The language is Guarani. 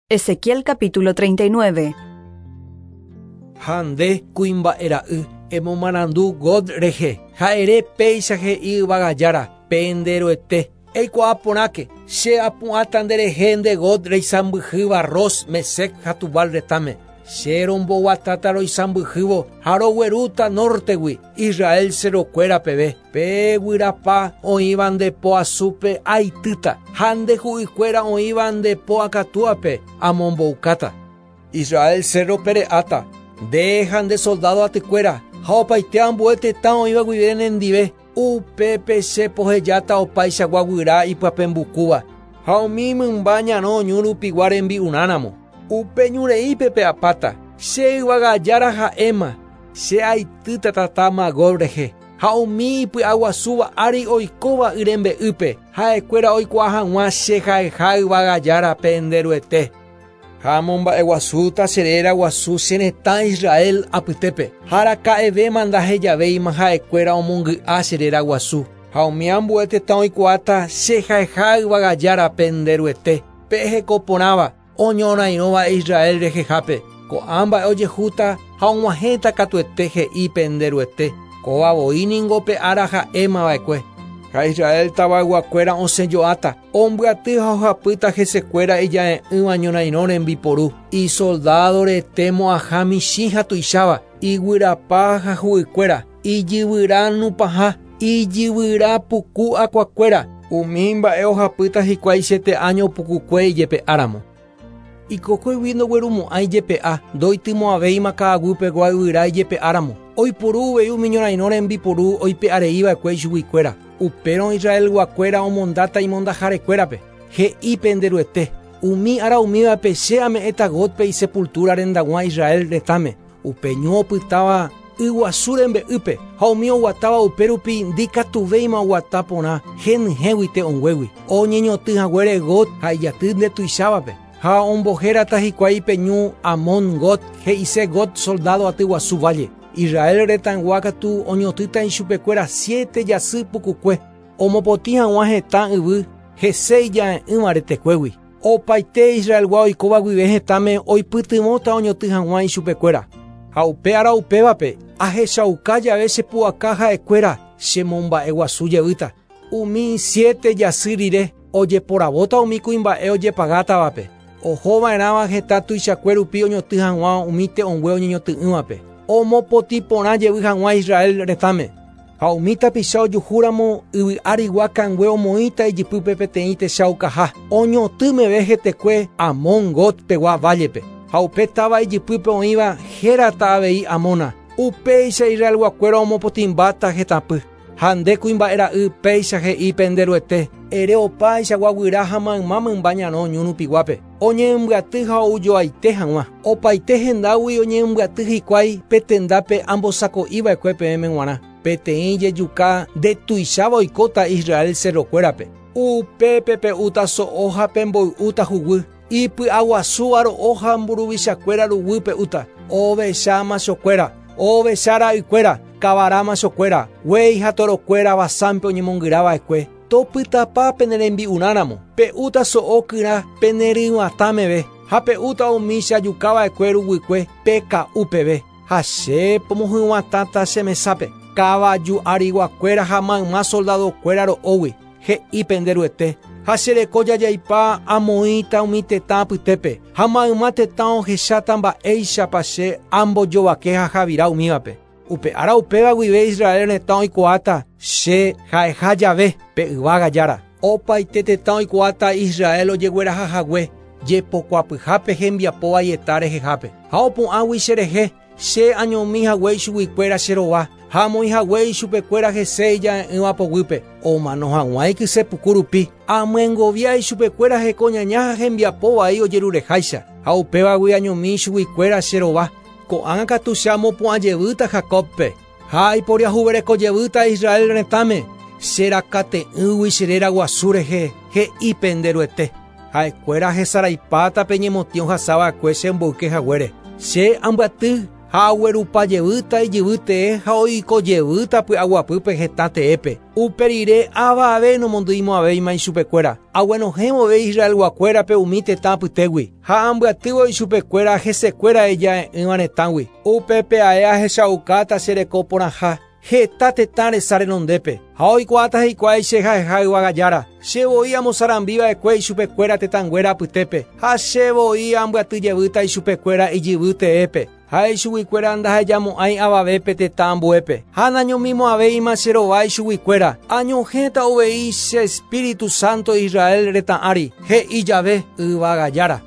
Ezequiel capítulo 39. Ha nde, kuimba'e ra'y, emomarandu Gog rehe, ha ere péicha he'i Yvága Jára, pende Ruete, Eikuaa porãke, che apu'ãta nde rehe nde Gog reisãmbyhýva Ros, Mesec ha Tubal retãme. Che romboguatáta roisãmbyhývo ha roguerúta nórtegui, Israel cerrokuéra peve. Pe guyrapa oĩva nde po asúpe aitýta, ha nde hu'ykuéra oĩva nde po akatúape amomboukáta. Israel cérrope re'áta, nde ha nde soldádo atykuéra, ha opaite ambue tetã oĩva guive nendive, upépe che pohejáta opaichagua guyra ipyapembukúva, ha umi mymba ñarõ ñu rupigua rembi'urãramo. Upe ñu reípe pe'apáta, che yvága Jára ha'éma, che aitýta tata Magog rehe. Ha umi ipy'aguasúva ári oikóva y rembe'ýpe, ha'ekuéra oikuaa hag̃ua che ha'eha Yvága Jára pende Ruete. Ha amomba'eguasúta che réra guasu che retã Israel apytépe, ha araka'evéma ndahejavéima ha'ekuéra omongy'a che réra guasu. Ha umi ambue tetã oikuaáta che ha'eha Yvága Jára pende Ruete, pe heko porãva, oñorairõva Israel rehehápe, ko'ã mba'e ojehúta ha og̃uahẽta katuete he'i pende Ruete, kóva voi ningo pe ára ha'éma va'ekue. Ha Israel tavayguakuéra osẽ jo'áta, ombyaty ha ohapýta hesekuéra ija'e'ỹva ñorairõ rembiporu, isoldádo rete mo'ãha michĩ ha tuicháva, iguyrapa ha hu'ykuéra, ijyvyra nupãha, ijyvyra puku akuakuéra, umi mba'e ohapýta hikuái siete áño pukukue ijepe'áramo. Ikokuégui ndoguerumo'ãi ijepe'a, ndoitymo'ãvéima ka'aguy pegua yvyra ijepe'áramo. Oiporu uvei umi ñorairõ rembiporu oipe'arei va'ekue ichuguikuéra. Upérõ Israelguakuéra omondáta imondaharekuérape. He'i pende Ruete, umi ára umívape che ame'ẽta Gógpe isepultúra rendaguã Israel retãme. Upe ñu opytáva yguasu rembe'ýpe ha umi oguatáva upérupi ndikatuvéima oguata porã henyhẽgui te'õnguégui. Oñeñotỹ haguére Gog ha ijaty ndetuichávape. Ha ombohérata hikuái pe ñu Hamon Gog, he'ise Gog soldádo aty guasu válle. Israel retãygua katu oñotỹta ichupekuéra siete jasy pukukue, omopotĩ hag̃ua hetã yvy hese ija'e'ỹva retekuégui. Opaite Israelgua oikóva guive hetãme oipytyvõta oñotỹ hag̃ua ichupekuéra. Ha upe ára upévape ahechauka jave che pu'aka ha'ekuéra chemomba'eguasu jevýta. Umi siete jasy rire ojeporavóta umi kuimba'e ojepagátavape, ohova'erãva heta tuichakue rupi oñotỹ hag̃ua umi te'õngue oñeñotỹ'ỹvape, omopotĩ porã jevy hag̃ua Israel retãme. Ha umi tapicha ojuhúramo yvy arigua kangue omoĩta ijypýpe peteĩ techaukaha, oñotỹ meve hetekue Hamon Gog pegua vállepe. Ha upe táva ijypýpe oĩva hérata avei Hamona. Upéicha Israelguakuéra omopotĩmbáta hetãpy. Ha nde kuimba'e ra'y péicha he'i pende Ruete, ere opaichagua guyra ha mayma mymba ñarõ ñu rupiguápe, oñembyaty ha oujoaite hag̃ua. Opaite hendágui oñembyaty hikuái pe tendápe ambosako'iva'ekue peẽme g̃uarã. Peteĩ jejuka ndetuicháva oikóta Israel cerrokuérape. Upépe pe'úta so'o ha pemboy'úta huguy, ipy'aguasúva ro'o ha mburuvichakuéra ruguy pe'úta, ovecha machokuéra, ovecha ra'ykuéra, kavara machokuéra, guéi ha torokuéra Basánpe oñemongyra va'ekue. Topytapa pene rembi'urãramo, pe'úta so'o kyra pene ryvatã meve, ha pe'úta umi che ajuka va'ekue ruguykue peka'u peve. Ha che pomohyvatãta che mesápe, kavaju ariguakuéra ha mayma soldadokuéra ro'ógui, he'i pende Ruete. Ha che reko jajaipa amoĩta umi tetã apytépe, ha mayma tetã ohecháta mba'éichapa che ambojovake ha javira umívape. Upe ára upéva guive Israel retã oikuaáta che ha'eha jave pe yvága Jára. Opaite tetã oikuaáta Israel ojegueraha hague jepokuapyhápe hembiapo vaieta rehehápe. Ha opu'ãgui cherehe, che añomi hague ichuguikuéra che rova, ha amoĩ hague ichupekuéra hese ija'e'ỹva poguýpe, omano hag̃ua ikyse puku rupi, amyengovia ichupekuéra heko ñaña ha hembiapo vai ojerureháicha, ha upévagui añomi ichuguikuéra che rova. Ko'ág̃a katu che amopu'ã jevýta Jacóbpe, ha aiporiahuvereko jevýta Israel retãme, che rakate'ỹgui che réra guasu rehe, he'i pende Ruete. Ha'ekuéra hesaraipáta pe ñemotĩ ohasa va'ekue che mboyke haguére. Che ambyaty Ha aguerupa jevýta ijyvy tee ha oiko jevýta py'aguapýpe hetã teépe. Upe rire avave nomondyimo'ãvéima ichupekuéra. Aguenohẽ vove Israelguakuérape umi tetã apytégui, ha ambyatývo ichupekuéra hesekuéra ija'e'ỹva retãgui. Upépe ae ahechaukáta che reko porãha heta tetã resa renondépe, ha oikuaáta hikuái che ha'eha yvága Jára. Che voi amosarambi va'ekue ichupekuéra tetãnguéra apytépe, ha che voi ambyaty jevýta ichupekuéra ijyvy teépe. Ha ichuguikuéra ndahejamo'ãi avavépe tetã ambuépe, ha nañomimo'ãvéima che rova ichuguikuéra, añohẽta uvei che Espíritu Santo Israel retã ári, he'i jave yvága Jára.